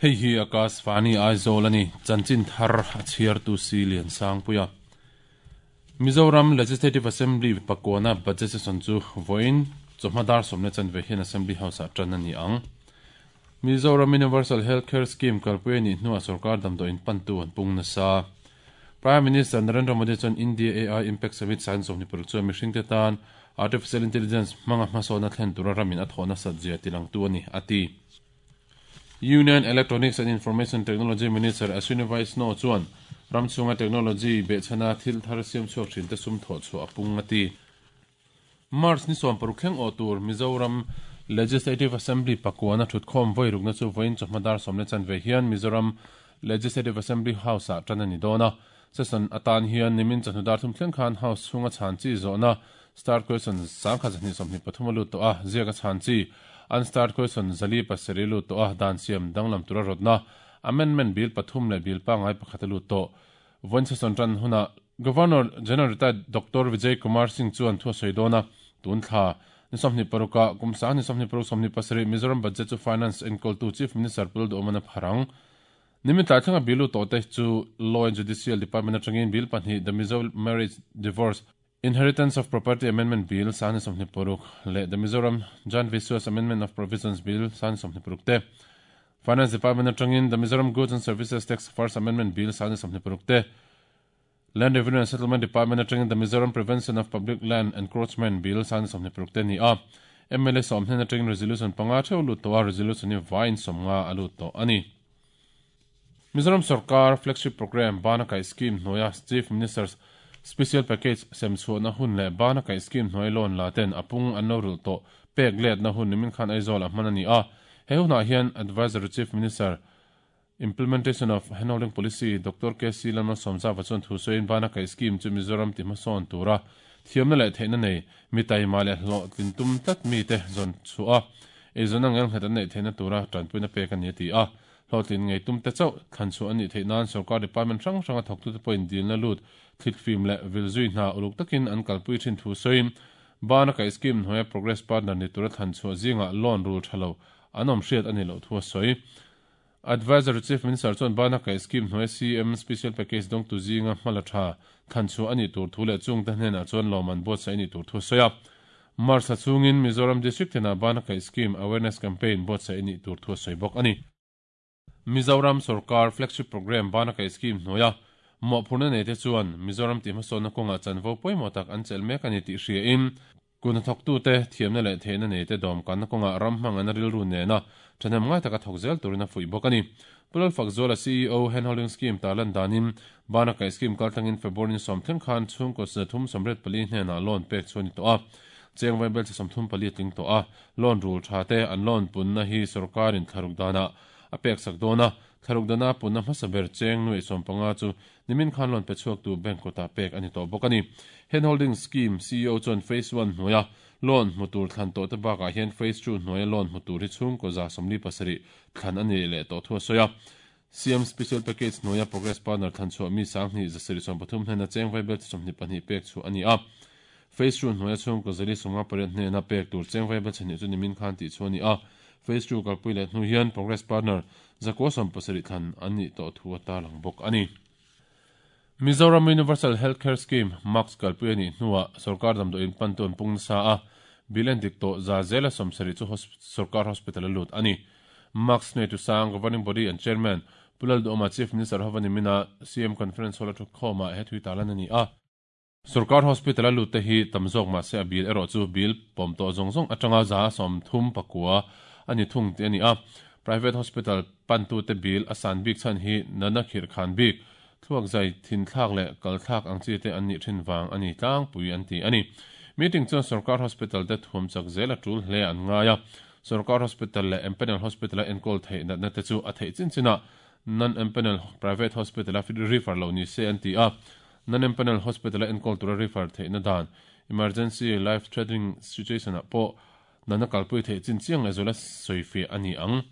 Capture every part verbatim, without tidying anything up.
Hei hi Akashvani Aizawl ani chanchin thar a chhiar tu si lian sang puia. Mizoram Legislative Assembly pakwana budget session chu voin chawhmadar somne chanve hian Assembly House ah tan ani ang. Mizoram Universal Healthcare Scheme kalpui ni hnua sarkar damdawiin pantu an pung nasa. Prime Minister Narendra Modi chuan India A I Impact Summit san sawmhnih paruk chuan mihring te tan Artificial Intelligence hmanga hmasawna thlen tura ramin a thawhna sat zia tilangtu ani ati. Union Electronics and Information Technology Minister Ashwini Vaishnaw chuan ramchunga technology behchhana thil thar siam chhuak thin te sum thawh chu a pung ati. March ni sawm paruk thleng aw tur Mizoram Legislative Assembly pakwana thutkhawm voi rukna chu voin chawhmadar sawmne chanve hian Mizoram Legislative Assembly House ah tan ani dawna. Session atan hian nimin chawhnudar thum thleng khan House chhunga chhan chi zawhna start question sangkha zahnih sawmhnih pathum a lut tawh a, ziaka chhan chi unstart question zali pasarih lut tawh a, dan siam danglam tura rawtna amendment bill pathum leh bill pangai pakhat a lut tawh. Voin session tan huna Governor General retired Doctor Vijay Kumar Singh chuan thu a sawi dawna tun thla ni sawmhnih paruka kum sang ni sawmhnih paruk sawmhnih pasarih Mizoram budget chu finance enkawl tu Chief Minister Pul Duhomana pharang. Nimin tlai thlenga bill lu tawh te chu Law and Judicial Department atangin bill pahnih The Mizo Marriage Divorce Inheritance of Property Amendment Bill sang ni sawmhnih paruk leh The Mizoram Jan Vishwas Amendment of Provisions Bill sang ni sawmhnih paruk te. Finance Department atangin The Mizoram Goods and Services Tax First Amendment Bill sang ni sawmhnih paruk te. Land Revenue and Settlement Department atangin The Mizoram Prevention of Public Land Encroachment Bill sang ni sawmhnih paruk te ni a. M L A sawmhnen atangin resolution panga theu lut tawh a, resolution hi vain sawmnga a lut tawh ani. Mizoram Sarkar flagship program Bana Kai Scheme hnuaia Chief Minister's Special Package sem chhuahna hun leh Bana Kai Scheme hnuai loan la ten apung an lo rul tawh pek letna hun nimin khan Aizawl a hman ani a. He hunah hian Advisory Chief Minister Implementation of Handholding Policy Doctor K C Lalmalsawmzava chuan thu sawiin Bana Kai Scheme chu Mizoram ti hmasawn tura thiamna leh theihna nei mi taima leh hlawh tlin tum tlat mi te zawn chu a eizawn ang nghet an neih theihna tura tanpuina pek ani a ti a. Hlawhtlin ngei tum te chauh thlan chu ani theih nan sarkar department hrang hranga thawktu te pawhin dilna lut thlit fim leh vilzui hna uluk takin an kalpui thin thu sawiin Bana Kai Scheme hnuaia progress partner ni tura thlan chu zinga loan rul thalo an awm hriat ani lo thu a sawi. Advisory Chief Minister chuan Bana Kai Scheme hnuaia C M Special Package dawng tu zinga hmala tha thlan chu ani tur thu leh chung te hnenah chuan lawman buatsaih ani tur thu a sawi a. March thla chungin Mizoram District tena Bana Kai Scheme Awareness Campaign buatsaih ani tur thu a sawi bawk ani. Mizoram Sarkar flagship program Bana Kai Scheme hnuaia mawhphurna nei te chuan Mizoram ti hmasawnna kawnga chanvo pawimawh tak an chelh mek ani tih hriain kuna thawktu te thiamna leh theihna nei te dawm kanna kawnga ram hmang an rilru nena thahnem ngai taka thawk zel turin a fuih bawk ani. Pulal Fakzuala C E O Handholding Scheme tarlan danin Bana Kai Scheme kaltlangin February ni sawm thleng khan chhungkaw zathum sawmriat pali hnenah loan pek chu ani tawh a. Cheng vaibel che sawmthum pali a tling tawh a. Loan rul tha te an loan punna hi sarkarin thlaruk dana a pek sak dawna thlaruk dana punna hmasa ber cheng nuai sawm panga chu nimin khan loan pe chhuak tu bank kawtah pek ani tawh bawk ani. Handholding Scheme C E O chuan Phase one hnuaia loan hmu tur thlan tawh te bakah hian Phase two hnuaia loan hmu tur hi chhungkaw za sawmli pasarih thlan ani leh tawh thu a sawi a. C M Special Package hnuaia Progress Partner thlan chhuah mi sanghnih zasarih sawm pathum hnena cheng vaibel che sawmhnih pahnih pek chu ani a. Phase two hnuaia chhungkaw zali sawmnga pariat hnena pek tur cheng vaibel chhnih chu nimin khan tih chu ani a. Phase two kalpui leh hnu hian Progress Partner zakua sawm pasarih thlan an nih tawh thu a tarlang bawk ani. Mizoram Universal Healthcare Scheme Max kalpui ani hnuah sarkar damdawiin pantu an pung nasa a, bill en dik tawh za zela sawmsarih chu sarkar hospital a lut ani. Max nei tu sang Governing Body and Chairman Pulal Duhoma Chief Minister Hovani Mina C M Conference Hall a thu khawmah he thui tarlan ani a. Sarkar hospital a lut te hi tamzawk mah se a bill erawh chu bill pawm tawh zawng zawng atanga za sawmthum pakua ani thung te ani a. Private hospital pantu te bill a san bik chan hi nana khir khan bik thluak zai thin thlak leh kal thlak ang chi te an nih thin wang ani tlang pui an ti ani. Meeting chuan sarkar hospital te thuam chak zel a tul hle an ngaia. Sarkar hospital leh empanel hospital a enkawl theih natna te chu a theih chin china non empanel private hospital a refer lo ni se an ti a. Non empanel hospital a enkawl tura refer theihna dan emergency life threatening situation ah pawh nana kalpui theih chin chiang leh zawla sawifi ani ang.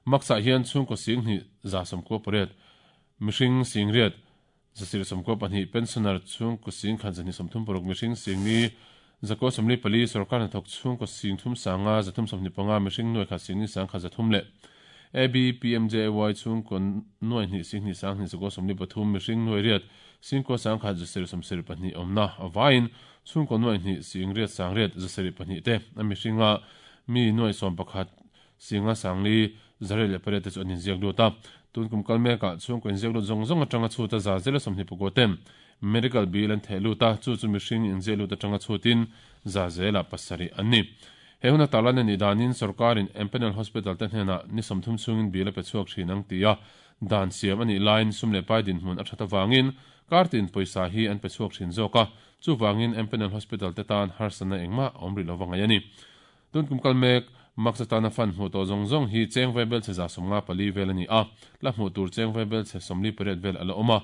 Maksa hian chhungkaw sing hnih za sawmkua pariat mihring sing riat zasir sawmkua pahnih pensioner chhungkaw sing khat zahnih sawmthum paruk mihring sing ni zakua sawmli pali sarkar hnathawk chhungkaw sing thum sanga zathum sawmhnih panga mihring nuai khat sing ni sang khat zathum leh A B P M J A Y chung kon nuai hnih sing hnih sang hnih zakua sawmli pathum mihring nuai riat singkua sangkhat zasarih sawmsarih pahnih awmna avaiin chhungkaw nuai hnih sing riat sang riat zasarih pahnih te a mihringa mi nuai sawm pakhat singa sangli zariat leh pariat te chu an inziak lut a tun kum kal mekah chhungkaw inziak lut zawng zawng atanga chhuta za zela sawmhnih pakua ten medical bill an theh lut a chu chu mihring inziak lut atanga chhutin za zela pasarih an ni. He huna tarlan ani danin sarkarin Empanel Hospital te hnena ni sawmthum chungin bill a pe chhuak thin ang ti a dan siam ani lain sum leh pai dinhmun a that awangin kartin pawisa hi an pe chhuak thin zawk a chuwangin Empanel Hospital te tan harsana engmah awm ri lovang ani. Tun kum kal mek maksatana fan hmu to zawng zawng hi cheng vai bel che za sawmnga pali vel ani a la hmu tur cheng vai bel che sawmli pariat vel ala awm a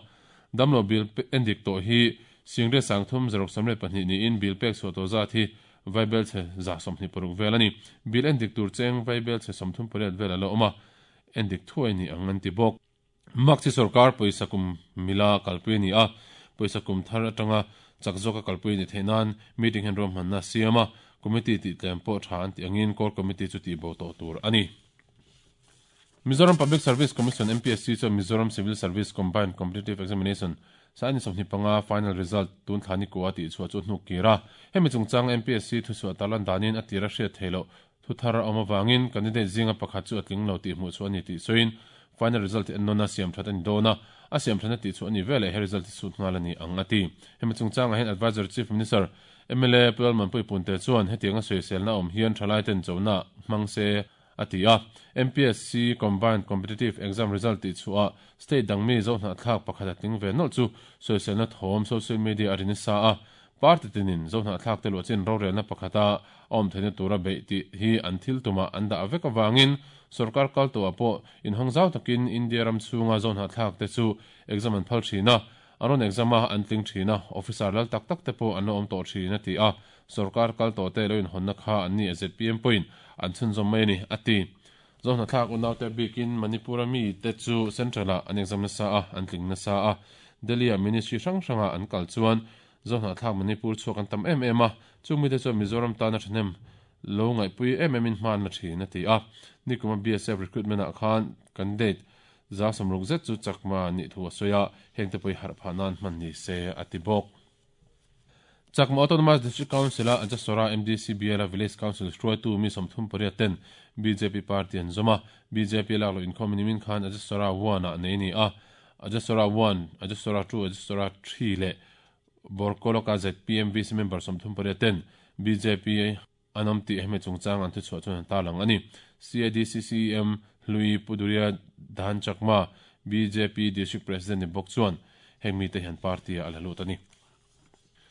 damlo bill endik to hi singre sangthum zaruk samre pahnih niin bill pek chhuah to zat hi vai bel che za sawmhnih paruk vel ani bill endik tur cheng vai bel che sawmthum pariat vel ala awm a endik thuai ni ang an ti bawk. Mak chi sarkar pawisa kum mila kalpui ani a pawisa kum thar atanga chak zawka kalpui ni theinan meeting hen rom hmanna siama committee ti tlem pawh tha an ti angin core committee chu ti bo tawh tur ani. Mizoram Public Service Commission M P S C chu Mizoram Civil Service Combined Competitive Examination sani sawmhnih panga final result tun thlani ko a ti chhuah chu hnuk kira hemi chungchang M P S C thu chhuah tarlan danin a tira hriat theilo thu thar a awm awangin candidate zinga pakhat chu a tling lo tih hmuh chu ani tih sawiin final result en nona siam that ani dawna a siam thana tih chu ani vele he result sut ngal ani ang ati hemi chungchang a hen advisor chief minister M L A Pual Manpui Punte chuan hetianga sawisel na awm hian thalai ten chona hmangse atia M P S C Combined Competitive Exam result ti chua state dangmi zo hna thlak pakhat ating ve nol chu sawisel na thawm social media arini sa a party tinin zo hna thlak te lo chin rorel na pakhata awm theina tura be ti hi an thil tuma an da avek awangin sarkar kal to apo in hongzau takin India ram chunga zo hna thlak te chu exam an phal thina aron exama an tling thina officer lal tak tak te po an awm to thina ti a sarkar kal to te loin honna kha an ni Z P M point an chun zom mai ni ati zo hna thlak unaw te bikin Manipur mi te chu central a an exam na sa a an tling na sa a Delhi a ministry hrang hranga an kal chuan zo hna thlak Manipur chuak an tam em em a chu mi te chu Mizoram ta na thnem lo ngai pui em em in hman na thina ti a nikuma B S F recruitment a khan candidate za samruk zet chu chakma ni thu soya hengte pui har phanan man ni se ati bok. Chakma Autonomous District Council a Ajasora M D C B L Village Council hruaitu mi sawmthum pariat ten B J P party an zawma B J P lak lo inkhawm nimin khan Ajasora one a nei ni a Ajasora one Ajasora two Ajasora three leh Borkoloka Z P M V C member sawmthum pariat ten B J P anam ti hemi chungchang an thu chhuah chuan an tarlang ani. C A D C C M Hlui Puduria Dhan Chakma B J P District President ni bawk chuan heng mi te hian party a la lut ani.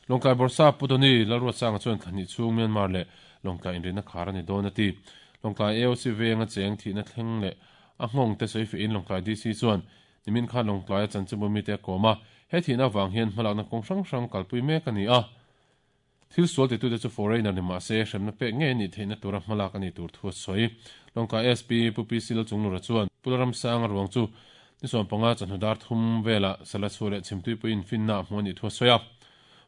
Longkai Borsa Putoni Lalruat Sanga chuan thlahnih chung Myanmar leh Longkai inrina khar ani dawn ati. Longkai A O C venga cheng thihna thleng leh a nghawng te sawi fe in Longkai D C chuan nimin khan Longkai a chanchinbu mi te a kawm a he thihna avang hian hmalakna kawng hrang hrang kalpui mek ani a thil sual ti tu te chu foreigner ni mahse hremna pek nge ni theihna tura hmalak ani tur thu a sawi. Longkai S P Pu P C Lalchunglura chuan Pularam Sanga ruang chu ni sawm panga chawhnu dar thum vela sala chhu leh chhimtui puiin finna a hmu ani thu a sawi a.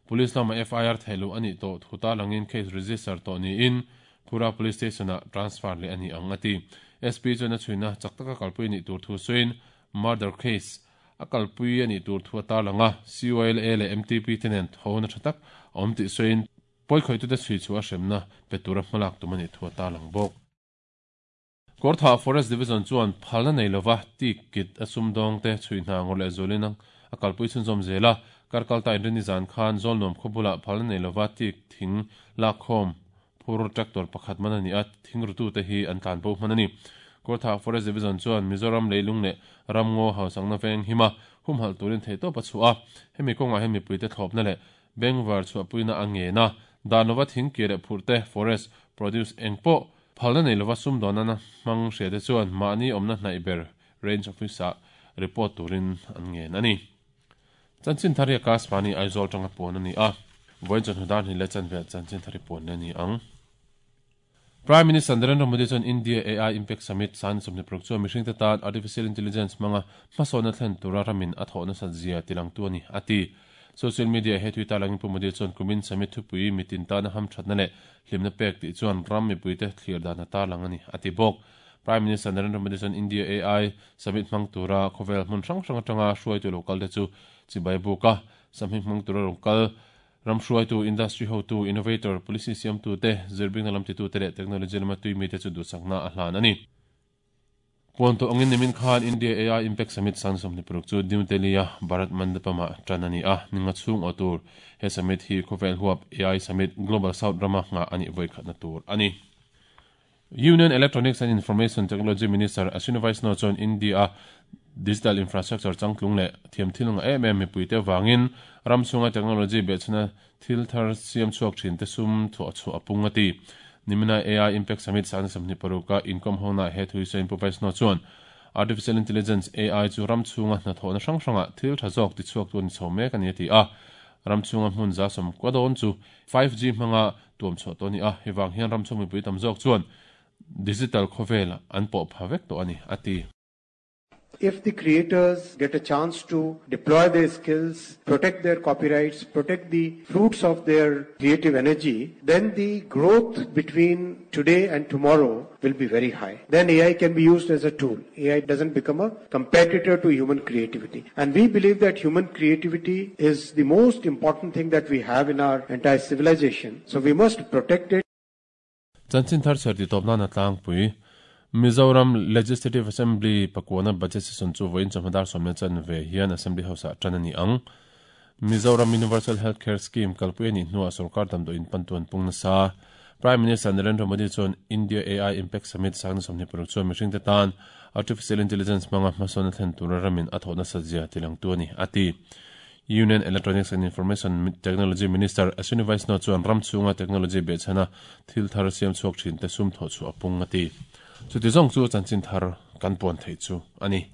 Police lama F I R theilu ani to thuta langin case register to ni in Phura Police Station a transfer le ani ang ati. S P chuan a chhuina chaktaka kalpui ni tur thu sawiin murder case a kalpui ani tur thu ata langa C O L A le M T P tenen thona thatak awm ti sawiin pawikhawih tu te chhui chu a hremna pe tura hmalak tum ani thu ata lang bawk. Kortha Forest Division chuan phalna nei lova tikit a sumdawng te chhui hna ngawr leh zawlin a kalpui chhunzawm zela karkal ta inrini zan khan zawlnuam khawbula phalna nei lova tik thing lakkhawm phur tractor pakhat man ani a thing rutu te hi an tlan bo hman ani. Kortha Forest Division chuan Mizoram leilung leh ramngaw hausangna veng hima humhal turin thei tawp a chhuah a hemi kawngah hian mipui te thlawpna leh bengvar chhuahpuina a ngena danlova thing ki leh phur te forest produce engpawh phalna nei lova sumdawn na hmang hria te chuan mahni awmna hnaih ber range office ah report turin an ngen ani. Chanchin thari Akashvani Aizawl tanga pawn ani a vawiin chawhnu dar hnih leh chanve chanchin thari pawn ani ang. Prime Minister Narendra Modi chuan India A I Impact Summit san sawmhnih paruk chuan mihring te tan artificial intelligence hmanga hmasawnna thlen tura ramin a thawhna sat zia tilang tu ani ati. Social media he Twitter langin Pu Modi chuan kumin summit thupui mitin tana ham thatna leh hlimna pek tih chuan ram mipui te thlir dan a tarlang ani ati bawk. Prime Minister Narendra Modi chuan India A I Summit hmang tura khawvel hmun hrang hrang atanga hruaitu local te chu chibai buka summit hmang tura local ram hruaitu, industry hotu, innovator, policy siamtu te, zirbing na lam ti tu te leh technology lama tui mi te chu duhsakna a hlan ani. Puan to angin nimin khan India A I Impact Summit sang sawmhnih paruk chu New Delhi a Bharat Mandapama tan ani a, ninga chung aw tur. He summit hi khawvel huap A I Summit Global South rama nga ani voi khatna tur ani. Union Electronics and Information Technology Minister Ashwini Vaishnaw chuan India digital infrastructure changtlung leh thiam thil nga em em mipui te wangin ram chunga technology be chuna thil thar siam chuak thin te sum thu chu apung ati. Nimina A I Impact Summit sang samni paruka income hona he thui sein pu Vaishnaw chuan artificial intelligence A I chu ram chunga hna thona hrang hranga thil tha zawk ti chuak tun chho mek ani ti a. Ram chunga hmun za som kwadon chu five G hmanga tuam chho to ni a, hewang hian ram chung mipui tam zawk chuan digital khawvel an pawh pha vek to ani ati. If the creators get a chance to deploy their skills, protect their copyrights, protect the fruits of their creative energy, then the growth between today and tomorrow will be very high. Then A I can be used as a tool. A I doesn't become a competitor to human creativity. And we believe that human creativity is the most important thing that we have in our entire civilization. So we must protect it. Chanchin thar cher ti topna na tlang pui. Mizoram Legislative Assembly pakwana budget session chu voin chawhma dar sawm chan ve hian Assembly House a tan ani ang. Mizoram Universal Healthcare Scheme kalpui ani hnuah sarkar damdawiin pantuan pung nasa. Prime Minister Narendra Modi chuan India A I Impact Summit sang sawmhnih paruk chuan mihring te tan artificial intelligence hmanga hmasawn thlen tura ramin a thawhna satzia tilang tu ani ati. Union Electronics and Information Technology Minister Ashwini Vaishnaw chuan ram chunga technology be chana thil thar siam chuak thin te sum tho chu apung ati. Chu ti zong chu chanchin thar kan pon thei chu ani.